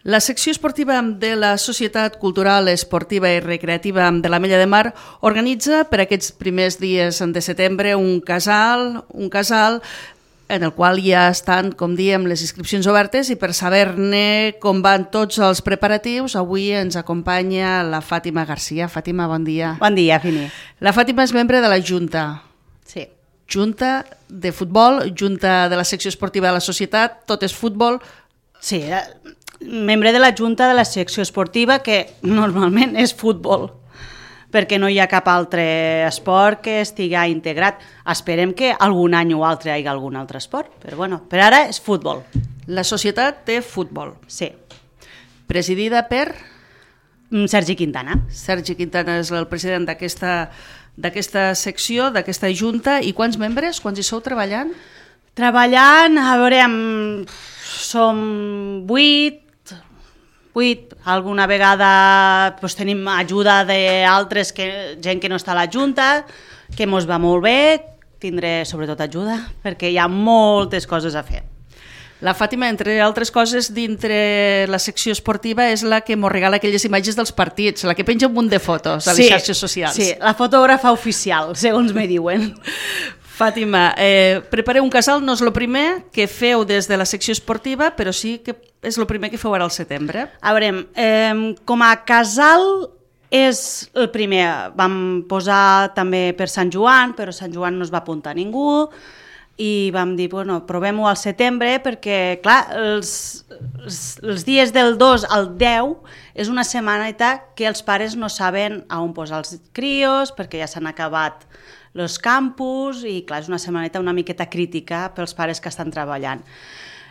La secció esportiva de la Societat Cultural, Esportiva i Recreativa de l'Ametlla de Mar organitza per aquests primers dies de setembre un casal en el qual ja estan, com diem, les inscripcions obertes, i per saber-ne com van tots els preparatius, avui ens acompanya la Fàtima Garcia. Fàtima, bon dia. Bon dia, Fini. La Fàtima és membre de la Junta. Sí. Junta de futbol, Junta de la secció esportiva de la societat, tot és futbol. Sí, membre de la Junta de la secció esportiva, que normalment és futbol, perquè no hi ha cap altre esport que estigui integrat. Esperem que algun any o altre hi hagi algun altre esport, però bueno, per ara és futbol. La societat té futbol. Sí. Presidida per? Sergi Quintana. Sergi Quintana és el president d'aquesta secció, d'aquesta junta. I quants membres? Quants hi sou treballant? Treballant, a veure, som 8, alguna vegada pues, tenim ajuda d'altres, gent que no està a la Junta, que mos va molt bé, tindré sobretot ajuda, perquè hi ha moltes coses a fer. La Fàtima, entre altres coses, dintre la secció esportiva és la que mos regala aquelles imatges dels partits, la que penja un munt de fotos a les xarxes socials. Sí, la fotògrafa oficial, segons me diuen. Fàtima, prepareu un casal, no és el primer que feu des de la secció esportiva, però sí que és el primer que feu ara al setembre. A veure, com a casal és el primer. Vam posar també per Sant Joan, però Sant Joan no es va apuntar ningú, i vam dir, bueno, provem-ho al setembre, perquè, clar, els dies del 2 al 10 és una setmaneta que els pares no saben on posar els crios, perquè ja s'han acabat els campus, i clar, és una setmaneta una miqueta crítica pels pares que estan treballant.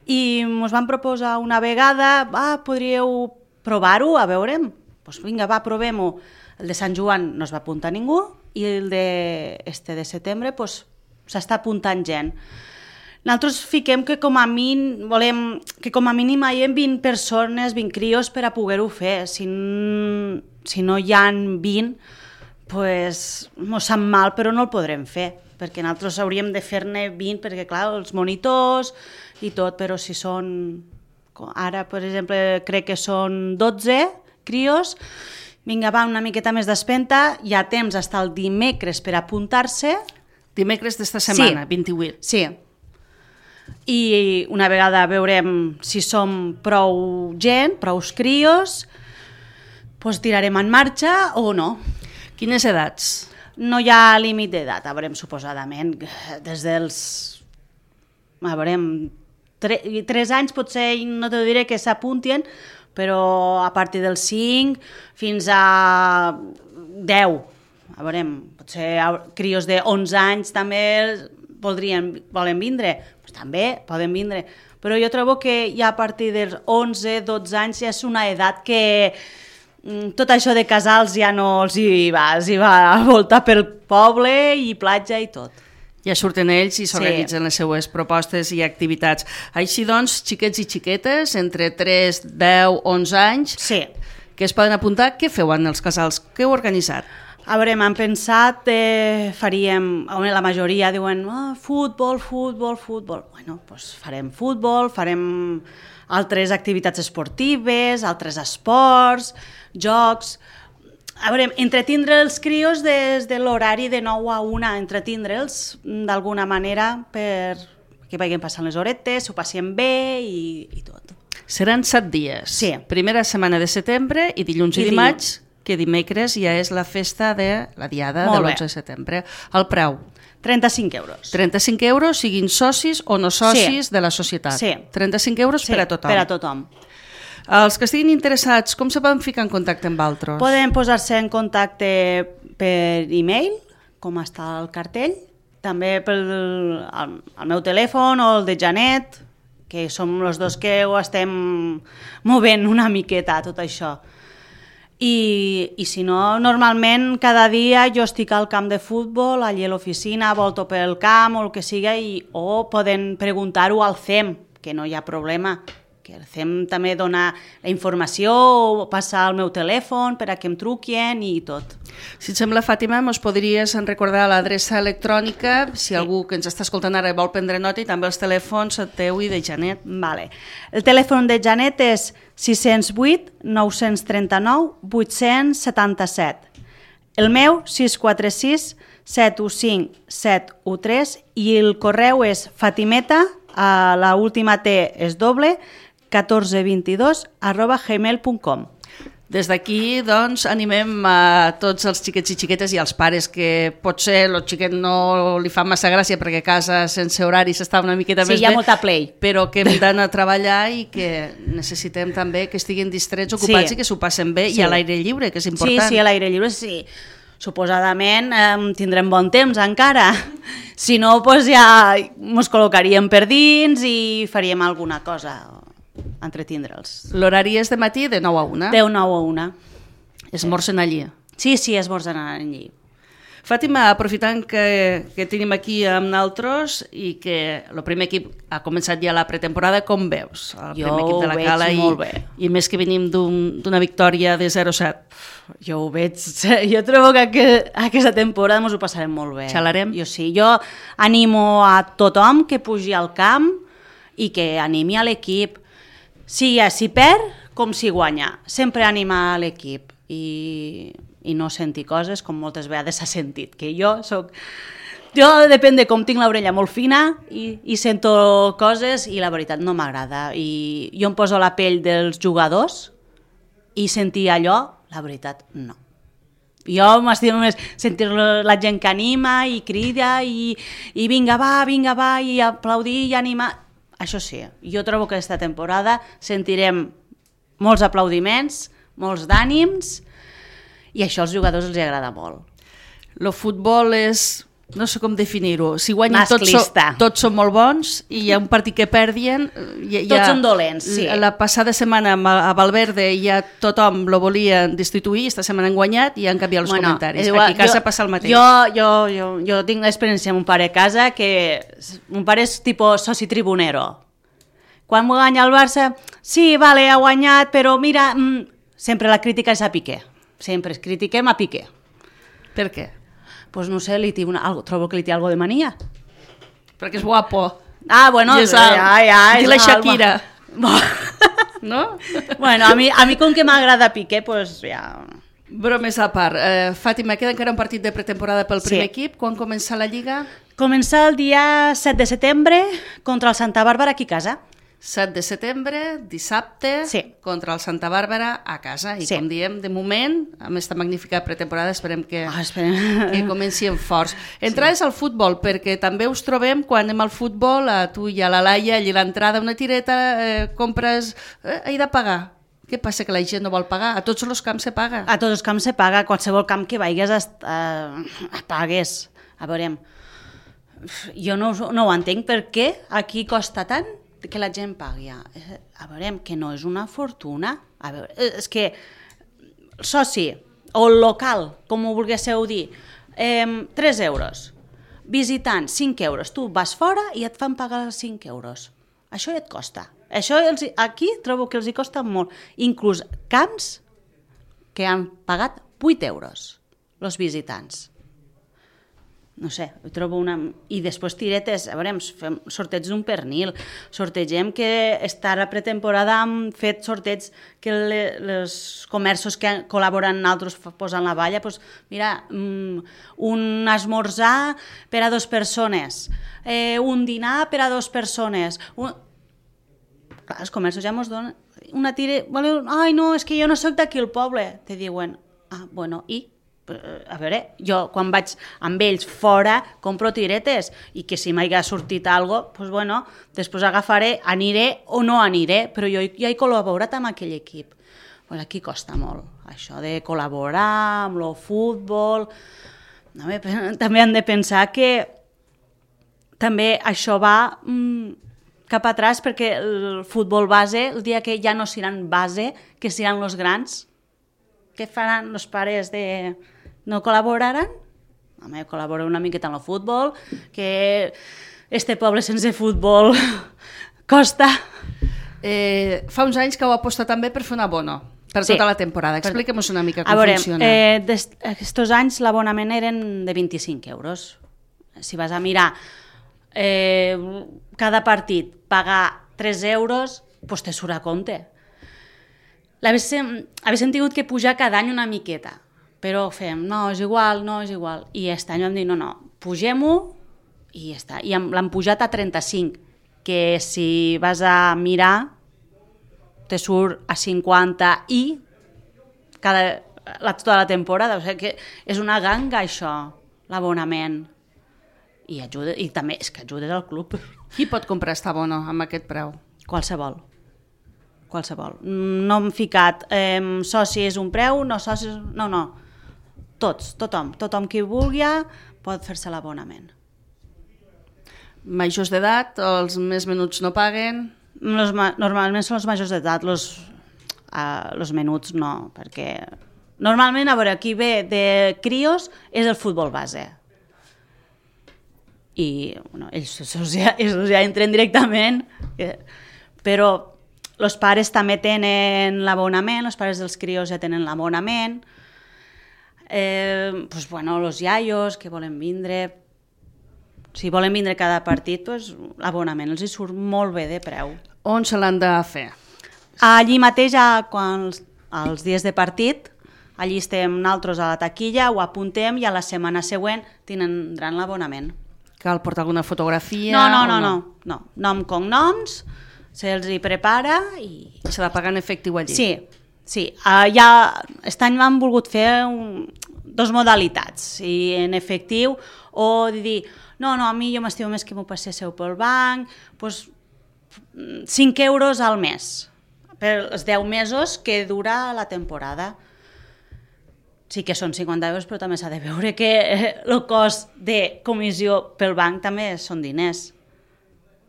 I ens van proposar una vegada, podríeu provar-ho, a veurem? Doncs vinga, provem-ho. El de Sant Joan no es va apuntar ningú, i el de setembre s'està apuntant gent. Nosaltres fiquem que com a mínim volem que com a mínim hi ha 20 persones, 20 crios per a poder-ho fer. Si no hi ha 20, pues mos sap mal, però no el podrem fer, perquè nosaltres hauríem de fer-ne 20, perquè clar, els monitors i tot, però si són, ara per exemple crec que són 12 crios, vinga, va, una miqueta més d'espenta, hi ha temps fins el dimecres per apuntar-se. Dimecres d'esta setmana, sí. 28. Sí. I una vegada veurem si som prou gent, prou crios, doncs tirarem en marxa o no. Quines edats? No hi ha límit d'edat, a veurem, suposadament, des dels 3 anys potser no te diré que s'apuntien, però a partir dels 5 fins a 10. A veurem, potser crios de 11 anys també volen vindre, pues també poden vindre, però jo trobo que ja a partir dels 11-12 anys ja és una edat que tot això de casals ja no els hi va a voltar pel poble i platja i tot. Ja surten ells i s'organitzen les seues propostes i activitats. Així doncs, xiquets i xiquetes, entre 3, 10, 11 anys, que es poden apuntar, què feu en els casals? Què heu organitzat? A veure, m'han pensat, faríem, la majoria diuen futbol. Bueno, doncs farem futbol, farem altres activitats esportives, altres esports, jocs. A veure, entretindre els crios des de l'horari de 9 a 1, entretindre'ls d'alguna manera perquè vagin passant les horetes, s'ho passin bé i tot. Seran 7 dies. Sí. Primera setmana de setembre i dilluns i dimarts, que dimecres ja és la festa de la diada de l'11 de setembre. El preu? 35 euros. 35 euros, siguin socis o no socis de la societat. Sí. 35 euros per a tothom. Per a tothom. Els que estiguin interessats, com se poden ficar en contacte amb altres? Poden posar-se en contacte per e-mail, com està el cartell, també pel meu telèfon o el de Janet, que som els dos que ho estem movent una miqueta, tot això. I si no, normalment cada dia jo estic al camp de futbol, allà a l'oficina, volto pel camp o el que sigui, o poden preguntar-ho al CEM, que no hi ha problema, que fem també donar la informació o passar el meu telèfon per a que em truquin i tot. Si et sembla, Fàtima, mos podries recordar l'adreça electrònica, si algú que ens està escoltant ara vol prendre nota, i també els telèfons teu i de Janet. Vale. El telèfon de Janet és 608 939 877. El meu, 646 715 713, i el correu és fatimeta, la última T és doble, 1422@gmail.com. Des d'aquí, doncs, animem a tots els xiquets i xiquetes i als pares que potser el xiquet no li fa massa gràcia perquè a casa sense horari s'està una miqueta més bé. Sí, hi ha molta play. Però que hem d'anar a treballar i que necessitem també que estiguin distrets, ocupats, i que s'ho passen bé, i a l'aire lliure, que és important. Sí, a l'aire lliure, sí. Suposadament tindrem bon temps encara. Si no, doncs ja ens col·locaríem per dins i faríem alguna cosa, entretindre'ls. L'horari és de matí de 9 a 1? De 9 a 1. Esmorzen allí? Sí, esmorzen allí. Fàtima, aprofitant que tenim aquí amb nosaltres i que el primer equip ha començat ja la pretemporada, com veus? El primer equip de la Cala, molt bé. I més que venim d'una victòria de 0-7. Jo ho veig, jo trobo que aquesta temporada ens ho passarem molt bé. Xalarem? Jo sí, jo animo a tothom que pugi al camp i que animi a l'equip, si perd com si guanya, sempre anima a l'equip i no sentir coses com moltes vegades s'ha sentit, que jo depèn de com tinc l'orella molt fina i sento coses i la veritat no m'agrada, i jo em poso la pell dels jugadors i sentir allò, la veritat, no. Jo m'estimo més sentir la gent que anima i crida i vinga va, i aplaudir i animar. Això sí, jo trobo que aquesta temporada sentirem molts aplaudiments, molts d'ànims, i això als jugadors els agrada molt. El futbol és, no sé com definir-ho, si guanyen tots són molt bons, i hi ha un partit que perdien... Tots són dolents, sí. La passada setmana a Valverde ja tothom lo volien destituir, esta setmana han guanyat i han canviat els comentaris. Aquí a casa passa el mateix. Jo tinc l'experiència amb un pare a casa que un pare és tipus soci tribunero. Quan guanya el Barça, sí, vale, ha guanyat, però mira, sempre la crítica és a Piqué. Sempre critiquem a Piqué. Per què? Pues no sé, trobo que li té algo de mania. Perquè és guapo. Ah, bueno, és la Shakira. No? Bueno, a mi com que m'agrada Piqué, pues ja... Bromes a part. Fàtima, queda encara un partit de pretemporada pel primer equip. Quan comença la Lliga? Comença el dia 7 de setembre contra el Santa Bàrbara aquí a casa. 7 de setembre, dissabte, contra el Santa Bàrbara a casa. I com diem, de moment, amb aquesta magnífica pretemporada, esperem que comencin forts. Entrades al futbol, perquè també us trobem, quan anem al futbol, a tu i a la Laia, allà l'entrada, una tireta, compres... he de pagar. Què passa, que la gent no vol pagar? A tots els camps se paga. A tots els camps se paga. A qualsevol camp que vagis pagues. A veure, jo no ho entenc, per què aquí costa tant que la gent pagui. A veure, que no és una fortuna. A veure, és que el soci o el local, com ho volguéssiu dir, 3 euros. Visitant, 5 euros. Tu vas fora i et fan pagar 5 euros. Això ja et costa. Això aquí trobo que els hi costa molt. Inclús camps que han pagat 8 euros, els visitants. No sé, ho trobo una... I després tiretes, a veure, fem sorteig d'un pernil, sortegem que estarà pretemporada hem fet sorteig que els comerços que col·laboren nosaltres posen la valla, doncs mira, un esmorzar per a 2 persones, un dinar per a 2 persones... Clar, els comerços ja ens donen una tira... Ai, no, és que jo no soc d'aquí al poble. Te diuen, bueno, i? A veure, jo quan vaig amb ells fora compro tiretes i que si m'hagi sortit alguna cosa, doncs bueno, després aniré o no aniré, però jo ja he col·laborat amb aquell equip. Pues aquí costa molt, això de col·laborar amb el futbol. També han de pensar que també això va... cap atrás, perquè el futbol base, el dia que ja no seran base, que seran els grans, què faran els pares de... no col·laboraran? Home, col·labora una miqueta en el futbol, que este poble sense futbol costa. Fa uns anys que heu apostat també per fer un abono per tota la temporada. Expliquem-nos una mica com funciona. Estos anys l'abonament eren de 25 euros. Si vas a mirar cada partit pagar 3 euros, doncs te surt a compte. Haguéssim tingut que pujar cada any una miqueta, però fem, no, és igual. I aquest any vam dir, no, pugem-ho i ja està. I l'han pujat a 35, que si vas a mirar te surt a 50 i tota la temporada. O sigui que és una ganga, això, l'abonament. I també és que ajudes al club. Qui pot comprar aquest abono amb aquest preu? Qualsevol. No hem ficat soci és un preu, no soci... No. Tothom qui vulgui pot fer-se l'abonament. Majors d'edat, els més menuts no paguen? Normalment són els majors d'edat, els menuts no, perquè normalment, a veure, qui ve de crios és el futbol base. I ells ja entren directament, però els pares també tenen l'abonament, els pares dels crios ja tenen l'abonament, els iaios que volen vindre, si volen vindre cada partit, l'abonament els hi surt molt bé de preu. On se l'han de fer? Allí mateix, quan els dies de partit, allí estem nosaltres a la taquilla, ho apuntem i a la setmana següent tindran l'abonament. Cal portar alguna fotografia? No. Nom, cognoms, se'ls hi prepara i... S'ha de pagar en efectiu allí? Sí. Aquest any m'han volgut fer dos modalitats, i en efectiu o dir, no, a mi jo m'estimo més que m'ho passéssiu pel banc, doncs 5 euros al mes, per els 10 mesos que dura la temporada. Sí que són 50 euros, però també s'ha de veure que el cost de comissió pel banc també són diners.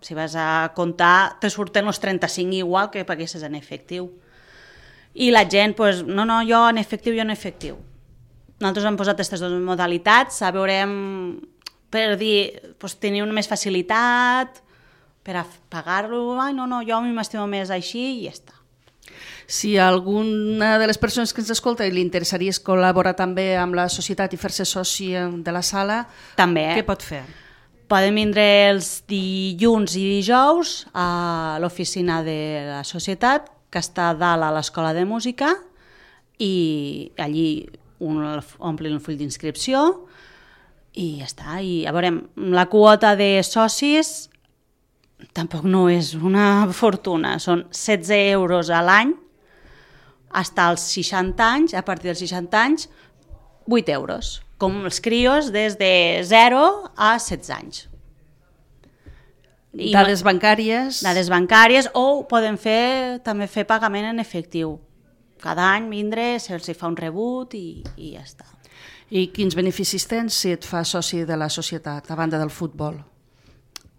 Si vas a comptar, te surten els 35 igual que paguessis en efectiu. I la gent, no, jo en efectiu. Nosaltres hem posat aquestes dues modalitats, a veure, per dir, tenir una més facilitat, per a pagar-lo, no, jo m'estimo més així i ja està. Si a alguna de les persones que ens escolta li interessaria col·laborar també amb la societat i fer-se soci de la sala, també, què pot fer? Poden vindre els dilluns i dijous a l'oficina de la societat, que està dalt a l'Escola de Música, i allí omplin el full d'inscripció i ja està. I a veure, la quota de socis tampoc no és una fortuna, són 16 euros a l'any, fins als 60 anys, a partir dels 60 anys, 8 euros, com els crios des de 0 a 16 anys. Dades bancàries? Dades bancàries, o poden també fer pagament en efectiu. Cada any vindre, se'ls fa un rebut i ja està. I quins beneficis tens si et fas soci de la societat, a banda del futbol?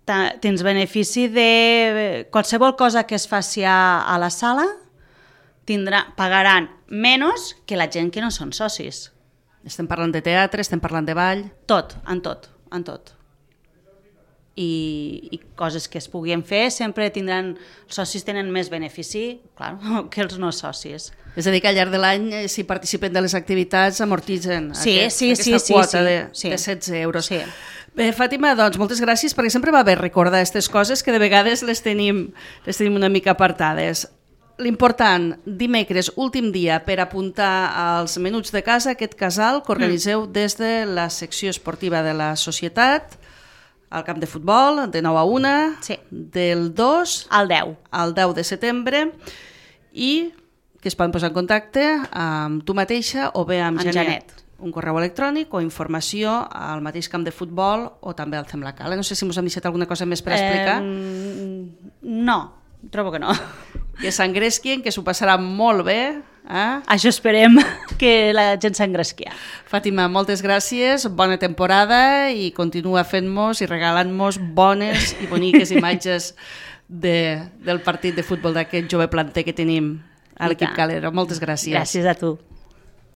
Tens benefici de qualsevol cosa que es faci a la sala, pagaran menys que la gent que no són socis. Estem parlant de teatre, estem parlant de ball... Tot. I coses que es puguin fer, sempre els socis tenen més benefici, clar, que els no socis. És a dir, que al llarg de l'any, si participen de les activitats, amortitzen aquesta quota de 16 euros. Sí. Bé, Fàtima, doncs moltes gràcies, perquè sempre va bé recordar aquestes coses que de vegades les tenim una mica apartades. L'important, dimecres, últim dia per apuntar als menuts de casa, aquest casal que organitzeu des de la secció esportiva de la societat, al camp de futbol, de 9 a 1, del 2 al 10 de setembre, i que es poden posar en contacte amb tu mateixa o bé amb Janet. Un correu electrònic o informació al mateix camp de futbol o també al Cala. No sé si us hem deixat alguna cosa més per explicar. No, trobo que no. Que s'engresquien, que s'ho passarà molt bé. Això esperem, que la gent s'engresqui. Fàtima, moltes gràcies, bona temporada i continua fent-nos i regalant-nos bones i boniques imatges del partit de futbol d'aquest jove planter que tenim a l'equip Calero. Moltes gràcies. Gràcies a tu.